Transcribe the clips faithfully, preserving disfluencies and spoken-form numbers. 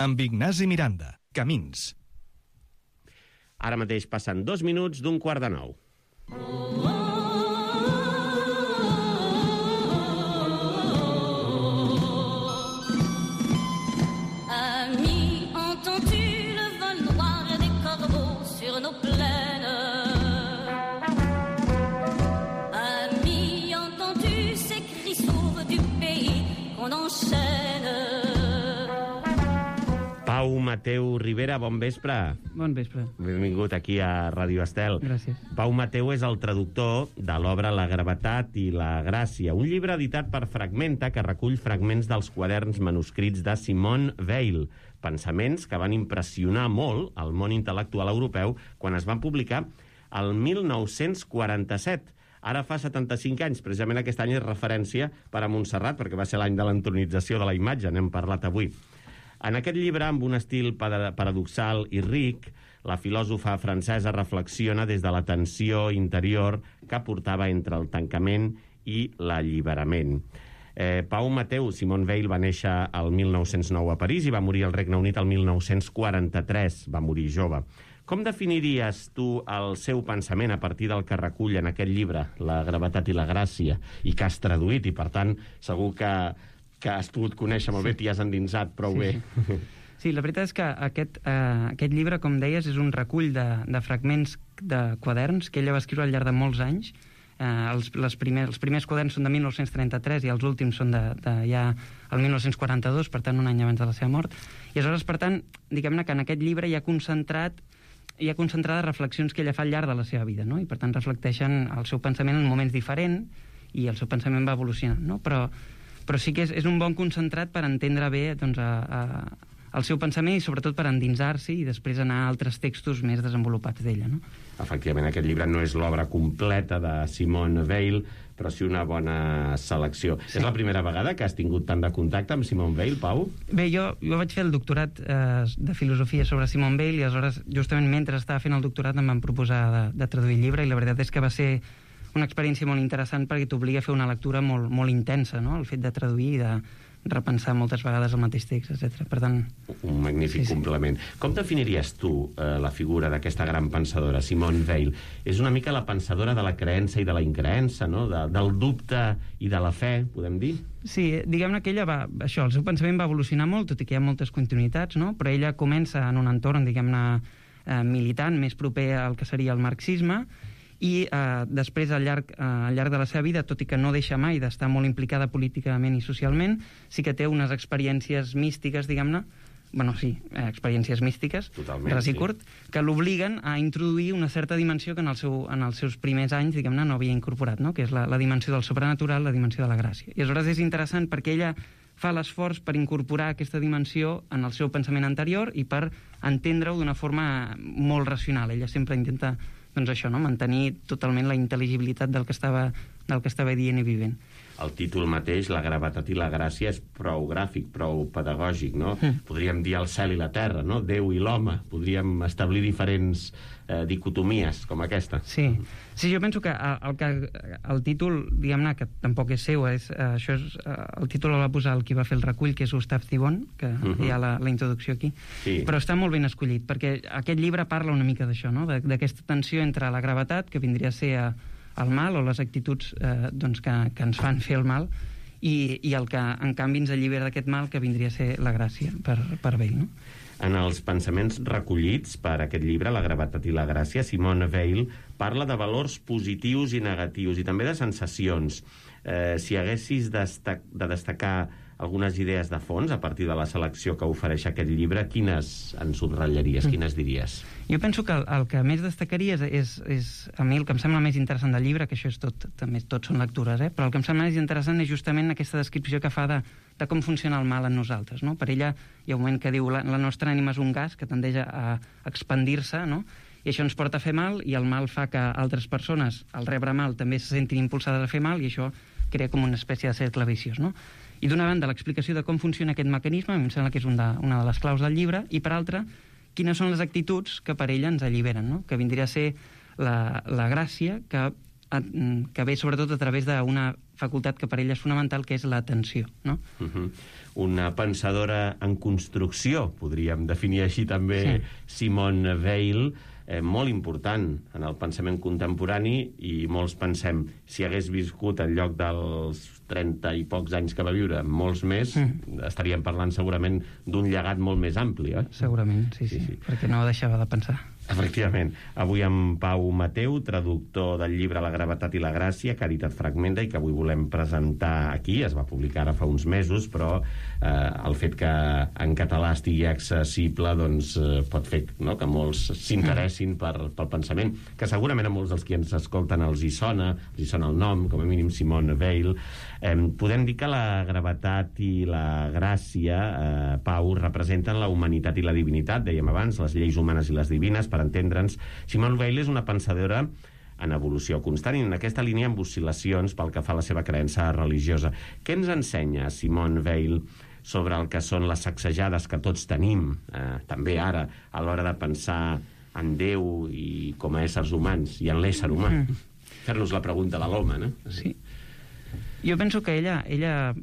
amb Ignasi Miranda. Camins. Ara mateix passen dos minuts d'un quart de nou. Ami, entends-tu le vol noir des corbeaux sur nos plaines? Ami, entends-tu ces cris sourds du pays qu'on enchaîne? Pau Mateu Rivera, bon vespre. Bon vespre. Benvingut aquí a Ràdio Estel. Gràcies. Pau Mateu és el traductor de l'obra La gravetat i la gràcia, un llibre editat per Fragmenta que recull fragments dels quaderns manuscrits de Simone Weil, pensaments que van impressionar molt el món intel·lectual europeu quan es van publicar el mil nou-cents quaranta-set. Ara fa setanta-cinc anys, precisament aquest any és referència per a Montserrat, perquè va ser l'any de l'entronització de la imatge, n'hem parlat avui. En aquest llibre, amb un estil paradoxal i ric, la filòsofa francesa reflexiona des de la tensió interior que portava entre el tancament i l'alliberament. Eh, Pau Mateu, Simone Weil va néixer el mil nou-cents nou a París i va morir al Regne Unit el mil nou-cents quaranta-tres, va morir jove. Com definiries tu el seu pensament a partir del que recull en aquest llibre, La gravetat i la gràcia, i que has traduït, i per tant segur que que has pogut conèixer molt bé, t'hi has endinsat prou sí. bé. Sí, la veritat és que aquest, eh, aquest llibre, com deies, és un recull de, de fragments de quaderns que ella va escriure al llarg de molts anys. Eh, els, les primer, els primers quaderns són de mil nou-cents trenta-tres i els últims són de, de ja el mil nou-cents quaranta-dos, per tant, un any abans de la seva mort. I aleshores, per tant, diguem-ne que en aquest llibre hi ha concentrat hi ha concentrades reflexions que ella fa al llarg de la seva vida, no? I per tant reflecteixen el seu pensament en moments diferents i el seu pensament va evolucionant, no? Però però sí que és, és un bon concentrat per entendre bé doncs, a, a, el seu pensament i sobretot per endinsar-s'hi i després anar a altres textos més desenvolupats d'ella, no? Efectivament, aquest llibre no és l'obra completa de Simone Weil, però sí una bona selecció. Sí. És la primera vegada que has tingut tant de contacte amb Simone Weil, Pau? Bé, jo, jo vaig fer el doctorat eh, de filosofia sobre Simone Weil i aleshores, justament mentre estava fent el doctorat, em van proposar de, de traduir el llibre i la veritat és que va ser una experiència molt interessant perquè t'obliga a fer una lectura molt, molt intensa, no? El fet de traduir i de repensar moltes vegades el mateix text, etcètera. Per tant... Un magnífic sí, complement. Sí. Com definiries tu eh, la figura d'aquesta gran pensadora, Simone Weil? És una mica la pensadora de la creença i de la increença, no? De, del dubte i de la fe, podem dir? Sí, diguem-ne que ella va... Això, el seu pensament va evolucionar molt, tot i que hi ha moltes continuïtats, no? Però ella comença en un entorn, diguem-ne, eh, militant, més proper al que seria el marxisme, i eh, després al llarg, eh, al llarg de la seva vida, tot i que no deixa mai d'estar molt implicada políticament i socialment, sí que té unes experiències místiques, diguem-ne, bueno, sí, eh, experiències místiques, ras i curt, sí, que l'obliguen a introduir una certa dimensió que en, el seu, en els seus primers anys, diguem-ne, no havia incorporat, no? Que és la, la dimensió del sobrenatural, la dimensió de la gràcia. I aleshores és interessant perquè ella fa l'esforç per incorporar aquesta dimensió en el seu pensament anterior i per entendre-ho d'una forma molt racional. Ella sempre intenta, doncs això, no? Mantenir totalment la intel·ligibilitat del que estava, del que estava dient i vivint. El títol mateix, La gravetat i la gràcia, és prou gràfic, prou pedagògic, no? Mm. Podríem dir el cel i la terra, no? Déu i l'home. Podríem establir diferents eh, dicotomies, com aquesta. Sí. Sí, jo penso que el, que, el títol, diguem-ne, que tampoc és seu, és, eh, això és, eh, el títol el va posar el qui va fer el recull, que és Gustave Thibon, que uh -huh. hi ha la, la introducció aquí. Sí. Però està molt ben escollit, perquè aquest llibre parla una mica d'això, no? D'aquesta tensió entre la gravetat, que vindria a ser a, el mal o les actituds eh, doncs que, que ens fan fer el mal i, i el que en canvi ens allibera d'aquest mal, que vindria a ser la gràcia per, per Weil, no? En els pensaments recollits per aquest llibre, La gravetat i la gràcia, Simone Weil parla de valors positius i negatius i també de sensacions. Eh, si haguessis destac de destacar algunes idees de fons a partir de la selecció que ofereix aquest llibre, quines en subratllaries, quines diries? Jo penso que el, el que més destacaria és, és, és, a mi el que em sembla més interessant del llibre, que això és tot, també tot són lectures, eh? Però el que em sembla més interessant és justament aquesta descripció que fa de, de com funciona el mal en nosaltres, no? Per ella hi ha un moment que diu la, la nostra ànima és un gas que tendeix a, a expandir-se, no? I això ens porta a fer mal, i el mal fa que altres persones, al rebre mal, també se sentin impulsades a fer mal, i això crea com una espècie de cercle viciós, no? I d'una banda, l'explicació de com funciona aquest mecanisme, em sembla que és un de, una de les claus del llibre, i per altra, quines són les actituds que per ella ens alliberen, no? Que vindria a ser la, la gràcia, que que ve sobretot a través d'una facultat que per ella és fonamental, que és l'atenció, no? Uh-huh. Una pensadora en construcció, podríem definir així també sí. Simone Weil, eh, molt important en el pensament contemporani, i molts pensem, si hagués viscut en lloc dels trenta i pocs anys que va viure, molts més, mm. estaríem parlant segurament d'un llegat molt més ampli, eh? Segurament, sí, sí, sí, sí, perquè no deixava de pensar. Efectivament. Avui amb Pau Mateu, traductor del llibre La gravetat i la gràcia, que ha editat Fragmenta i que avui volem presentar aquí. Es va publicar ara fa uns mesos, però eh, el fet que en català estigui accessible doncs, eh, pot fer, no?, que molts s'interessin per, pel pensament, que segurament a molts dels que ens escolten els hi sona, els hi sona el nom, com a mínim Simone Weil. Eh, podem dir que la gravetat i la gràcia, eh, Pau, representen la humanitat i la divinitat, dèiem abans, les lleis humanes i les divines, per entendre'ns. Simone Weil és una pensadora en evolució constant i en aquesta línia amb oscil·lacions pel que fa a la seva creença religiosa. Què ens ensenya Simone Weil sobre el que són les sacsejades que tots tenim, eh, també ara, a l'hora de pensar en Déu i com a éssers humans, i en l'ésser humà? Mm. Fer-nos la pregunta de l'home, no? Sí. Jo penso que ella, ella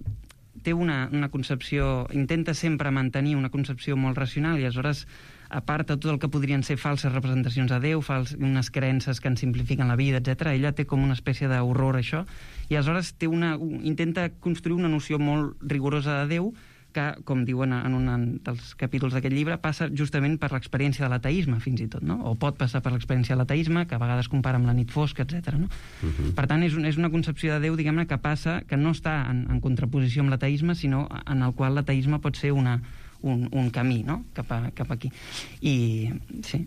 té una, una concepció, intenta sempre mantenir una concepció molt racional, i aleshores aparta tot el que podrien ser falses representacions de Déu, fals, unes creences que en simplifiquen la vida, etcètera. Ella té com una espècie d'horror a això, i aleshores té una, intenta construir una noció molt rigorosa de Déu que, com diuen en un dels capítols d'aquest llibre, passa justament per l'experiència de l'ateisme, fins i tot, no? O pot passar per l'experiència de l'ateisme, que a vegades compara amb la nit fosca, etcètera. No? Uh-huh. Per tant, és, un, és una concepció de Déu, diguem-ne, que passa, que no està en, en contraposició amb l'ateisme, sinó en el qual l'ateisme pot ser una Un, un camí, no?, cap, a, cap aquí. I, sí.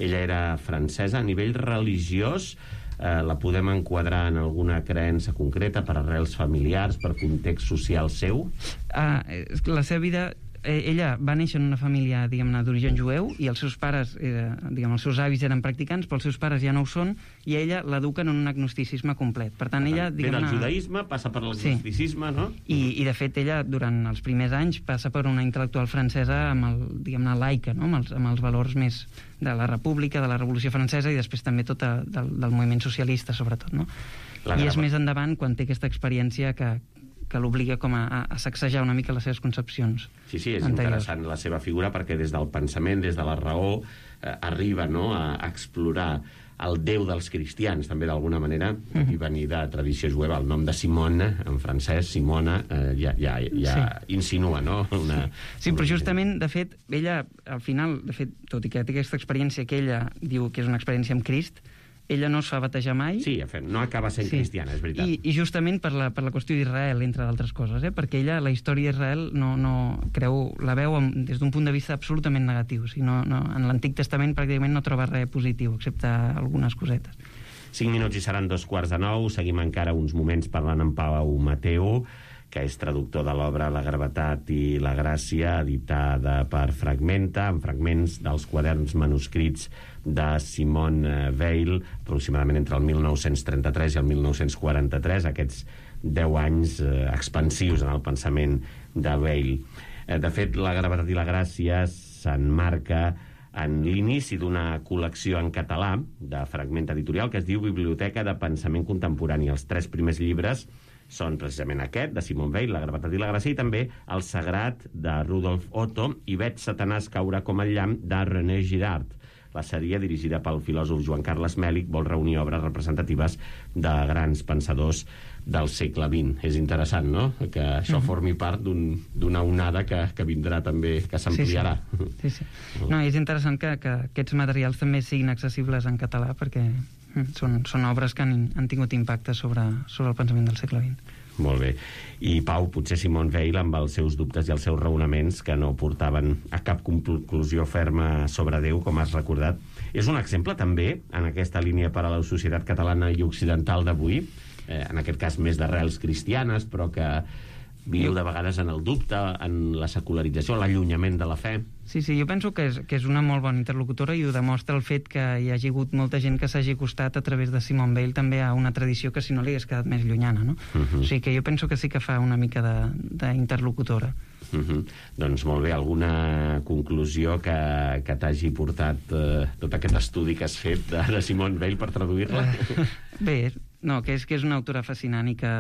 Ella era francesa. A nivell religiós, eh, la podem enquadrar en alguna creença concreta, per arrels familiars, per context social seu? Uh, la seva vida... Ella va néixer en una família, diguem-ne, d'origen jueu, i els seus pares, eh, diguem, els seus avis eren practicants, però els seus pares ja no ho són, i ella l'eduquen en un agnosticisme complet. Per tant, ella... Ve del judaïsme, passa per l'agnosticisme, sí. No? I, I, de fet, ella, durant els primers anys, passa per una intel·lectual francesa amb el, diguem-ne, laica, no?, amb els, amb els valors més de la República, de la Revolució Francesa, i després també tot a, del, del moviment socialista, sobretot, no? La I és més endavant, quan té aquesta experiència que que l'obliga com a, a sacsejar una mica les seves concepcions. Sí, sí, és anteriors. Interessant la seva figura, perquè des del pensament, des de la raó, eh, arriba, no?, a, a explorar el Déu dels cristians, també d'alguna manera, uh-huh. i venir de tradició jueva. El nom de Simone, en francès, Simona, eh, ja, ja, ja sí. insinua, no? Una, sí, però justament, de fet, ella, al final, de fet, tot i que té aquesta experiència que ella diu que és una experiència amb Crist, ella no es fa batejar mai. Sí, no acaba sent sí. cristiana, és veritat. I, i justament per la, per la qüestió d'Israel, entre d'altres coses, eh? Perquè ella, la història d'Israel, no, no, creu, la veu amb, des d'un punt de vista absolutament negatiu. O sigui, no, no, en l'Antic Testament pràcticament no troba res positiu, excepte algunes cosetes. Cinc minuts i seran dos quarts de nou. Seguim encara uns moments parlant amb Pau Mateu, que és traductor de l'obra La gravetat i la gràcia, editada per Fragmenta, amb fragments dels quaderns manuscrits de Simone Weil, aproximadament entre el mil nou-cents trenta-tres i el mil nou-cents quaranta-tres, aquests deu anys eh, expansius en el pensament de Weil. Eh, de fet, La gravetat i la gràcia s'enmarca en l'inici d'una col·lecció en català de Fragmenta Editorial que es diu Biblioteca de Pensament Contemporani. Els tres primers llibres són precisament aquest, de Simone Weil, La gravetat i la gràcia, i també El sagrat, de Rudolf Otto, i Veig Satanàs caure com el llamp, de René Girard. La sèrie, dirigida pel filòsof Joan Carles Mèlich, vol reunir obres representatives de grans pensadors del segle vint. És interessant, no?, que això formi part d'una un, onada que, que vindrà també, que s'ampliarà. Sí, sí. sí. No, és interessant que, que aquests materials també siguin accessibles en català, perquè són, són obres que han, han tingut impacte sobre, sobre el pensament del segle vint. Molt bé. I, Pau, potser Simone Weil, amb els seus dubtes i els seus raonaments, que no portaven a cap conclusió ferma sobre Déu, com has recordat, és un exemple també, en aquesta línia per a la societat catalana i occidental d'avui, eh, en aquest cas més d'arrels cristianes, però que viu de vegades en el dubte, en la secularització, l'allunyament de la fe. Sí, sí, jo penso que és, que és una molt bona interlocutora, i ho demostra el fet que hi hagi hagut molta gent que s'hagi acostat a través de Simone Weil també a una tradició que si no li hagués quedat més llunyana, no? Uh-huh. O sigui que jo penso que sí que fa una mica d'interlocutora. Uh-huh. Doncs molt bé, alguna conclusió que, que t'hagi portat eh, tot aquest estudi que has fet de, de Simone Weil per traduir-la? Uh, bé, no, que és, que és una autora fascinant i que,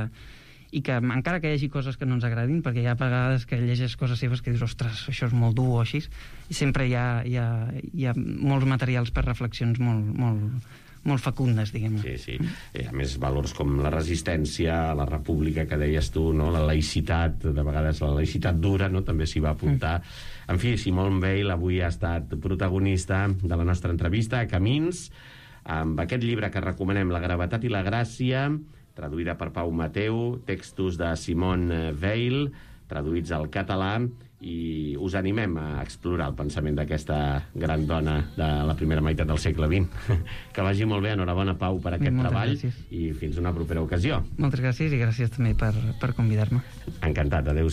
i que encara que hi hagi coses que no ens agradin, perquè hi ha vegades que llegeix coses seves que dius, ostres, això és molt dur o així, i sempre hi ha, hi ha, hi ha molts materials per reflexions molt, molt, molt fecundes, diguem-ne. Sí, sí. I a més, valors com la resistència, la república, que deies tu, no? La laïcitat, de vegades la laïcitat dura, no? També s'hi va apuntar. Mm. En fi, Simone Weil avui ha estat protagonista de la nostra entrevista a Camins, amb aquest llibre que recomanem, La gravetat i la gràcia, traduïda per Pau Mateu, textos de Simone Weil, traduïts al català, i us animem a explorar el pensament d'aquesta gran dona de la primera meitat del segle vint. Que vagi molt bé, enhorabona, Pau, per aquest Moltes treball, gràcies. i fins una propera ocasió. Moltes gràcies i gràcies també per, per convidar-me. Encantat, adéu.